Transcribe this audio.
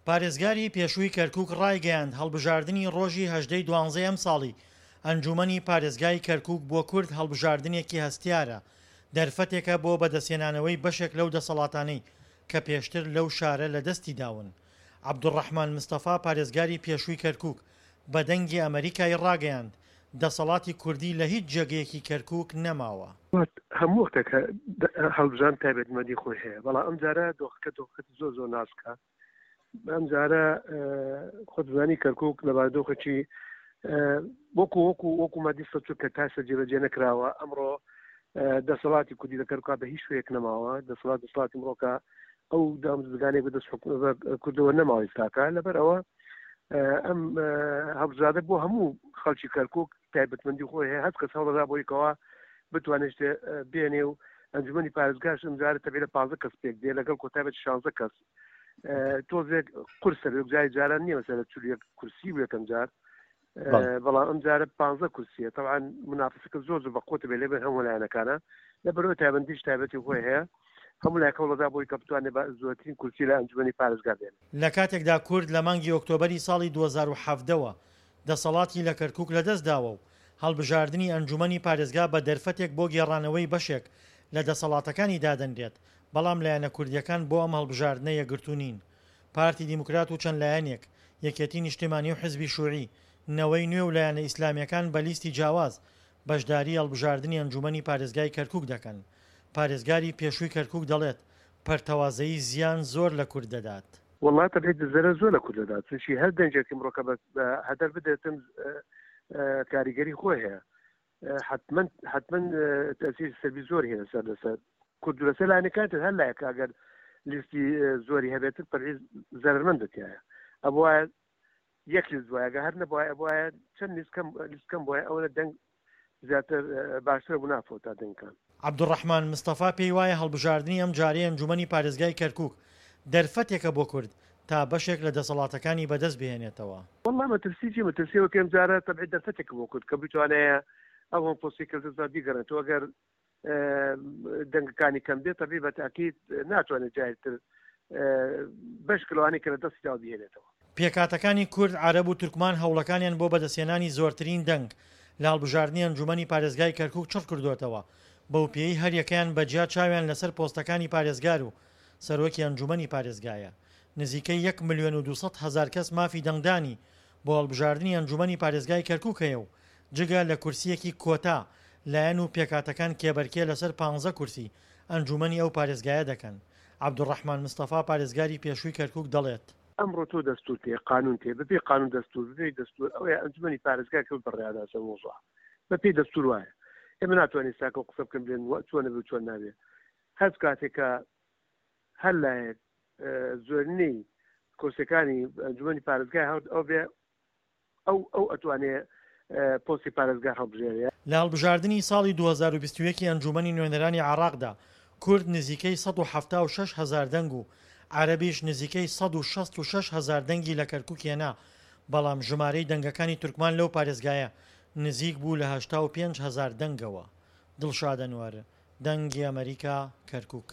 پارێزگاری پێشووی کەرکوک ڕایگەیاند، هەڵبژاردنی ڕۆژی 18 ی دوانزەی ئەمساڵی ئەنجوومەنی پارێزگای کەرکوک بۆ کورد هەڵبژاردنێکی هەستیارە، دەرفەتێکە بۆ بەدەستهێنانەوەی بەشێک لەو دەسەڵاتانەی کە پێشتر لەو شارە لەدەستی داون. عەبدولڕەحمان مستەفا پارێزگاری پێشووی کەرکوک بە دەنگی ئەمەریکای ڕاگەیاند، دەسەڵاتی کوردی لە هیچ جێگەیەکی کەرکوک نەماوە. هەموو وەختێک هەڵبژاردن تایبەتمەندی خۆی هەیە، بەڵام ئەمجارە دۆخەکە دۆخێکی زۆر زۆر ناسکە. ئەمجارە خۆت زانی کەرکک لە بارودۆخێکی وەکو وەکو وەکو مادی سەچوو کە تاسە جێبەجێ نەکراوە. ئەمڕۆ دەسەڵاتی کوردی لە کەرکوکا بە هیچ شوێک نەماوە. دەسەڵات دەسەڵاتی مرۆکە ئەو دامزگانێک بە دەست کوردەوە نەماوە ئێستاکە. لەبەر ئەوە ئەم هەڵبژاردە بۆ هەموو خەڵکی کەرکک تایبەتمەندی خۆی هەیە. هەست کەس هەوڵدا بۆی کەوا بتوانێت شتێ بێنێ و ئەنجومەنی پارێزگاش ئەمجارە تەبی لە 15 کەس پێک دێ لەگەڵ کۆتایبەت 16 کەس. تۆزێک قورسە بێ، جای جاران نییە مەسەلە 41 کورسی بوو یەکەم جار، بەڵام ئەم جارە 15 کورسیە. طبعا منافسەکە زۆر زۆر بەقوتە بێ لێبێن هەموو لایەنەکانە، لەبەرەوە تایبەندیش تایبەتی خۆی هەیە. هەموو لایەک هەوڵەدا بۆی کە بتوانێت بە زۆرترین کورسی لە ئەنجومەنی پارێزگا بێنێ. لە کاتێکدا کورد لە مانگی ئۆکتۆبەری ساڵی 2017 وە دەسەڵاتی لە کەرکوک لەدەستداوە و هەڵبژاردنی ئەنجومەنی پارێزگا بە دەرفەتێک بۆ گێڕانەوەی بەشێک لە دەسەڵاتەکانی دادەنرێت، بەڵام لایەنە کوردییەکان بۆ ئەم هەڵبژاردنە یەکگرتوو نین. پارتی دیموکرات و چەند لایەنێک، یەکێتی نیشتیمانی و حزبی شوعی، نەوەی نوێ و لایەنە ئیسلامییەکان بە لیستی جیاواز بەشداری هەڵبژاردنی ئەنجومەنی پارێزگای کەرکوک دەکەن. پارێزگاری پێشووی کەرکوک دەڵێت، پەرتەوازەیی زیان زۆر لە کورد دەدات. وەڵا تەبعی زەرەر زۆر لە کورد دەدات، چونکی هەر دەنگێک ئمڕۆکە بە هەدەر بدرێتن کاریگەری خۆی هەیە. حتمما حتمما تەسیر سەلبی زۆر هەیە لەسەر لەسەر کورد و لەسەر لایەنەکان تر. هەر لایەک ئەگەر لیستی زۆری هەبێتن تەبعی زەرەرمەندە تایە. ئەبوایە یەک لیست بوایە، ئەگەر هەر نەبوایە ئەبوایە چەند لیست کەم لیست کەم بوایە ئەوەنە دەنگ زیاتر باشترە بوو نافەوتا دەنگەکان. عەبدولڕەحمان مستەفا پێی وایە هەڵبژاردنی ئەمجارەی ئەنجومەنی پارێزگای کەرکوک دەرفەتێکە بۆ کورد تا بەشێک لە دەسەڵاتەکانی بەدەست بهێنێتەوە. وەڵا مەترسی چیە؟ مەترسی ئەوە کە ئەمجارە تەبعی دەرفەتێکە بۆ کورد کە بتوانێ ئەو هەم پۆستی کە لەدەستدا بیگەڕێنێتەوە. ئەگەر دەنگەکانی کەم بێت تەبعی بە تاکید ناتوانێت جارێتر بەش لەوانەی کە لە دەستی داوە بهێنێتەوە. پێکهاتەکانی کورد، عەرەب و تورکمان هەوڵەکانیان بۆ بەدەستهێنانی زۆرترین دەنگ لە هەڵبژاردنی ئەنجومەنی پارێزگای کەرکوک چڕکردۆتەوە، بەوپێیەی هەریەکەیان بە جیا چاویان لەسەر پۆستەکانی پارێزگار و سەرۆکی ئەنجومەنی پارێزگایە. نزیکەی یەک ملیۆن و 200 هەزار کەس مافی دەنگدانی بۆ هەڵبژاردنی ئەنجومەنی پارێزگای کەرکوک هەیە و جگە لە کورسییەکی کۆتا، لایەن و پێکهاتەکان کێبەرکێ لەسەر پانزە کورسی ئەنجومەنی ئەو پارێزگایە دەکەن. عەبدولڕەحمان مستەفا پارێزگاری پێشووی کەرکوک دەڵێت. ئەمڕۆ تۆ دەستور تێ قانون تێ بەپێی قانون دەستور بەپێی دەستور ئەوەیە ئەنجومەنی پارێزگا کە بڕیاردا سەر وەزع بەپێی دەستور وایە. ئێمە ناتوانین ساکە قسە بکەن بلێن چۆنە بێ و چۆن نابێ. هەر کاتێک کە هەر لایەک زۆرینەی کۆسەکانی ئەنجومەنی پارێزگای هەڵ ئەو بێ ئەو ئەو ئەتوانێ پۆستی پارێزگار هەڵبژێرێ. لە هەڵبژاردنی ساڵی 2021 ی ئەنجوومەنی نوێنەرانی عێراقدا کورد نزیکەی 176 هەزار دەنگ و عەرەبیش نزیکەی 166 هەزار دەنگی لە کەرکوک هێنا، بەڵام ژمارەی دەنگەکانی تورکمان لەو پارێزگایە نزیک بوو لە 85 هەزار دەنگەوە. دڵشاد ئەنوەر، دەنگی ئەمەریکا، کەرکوک.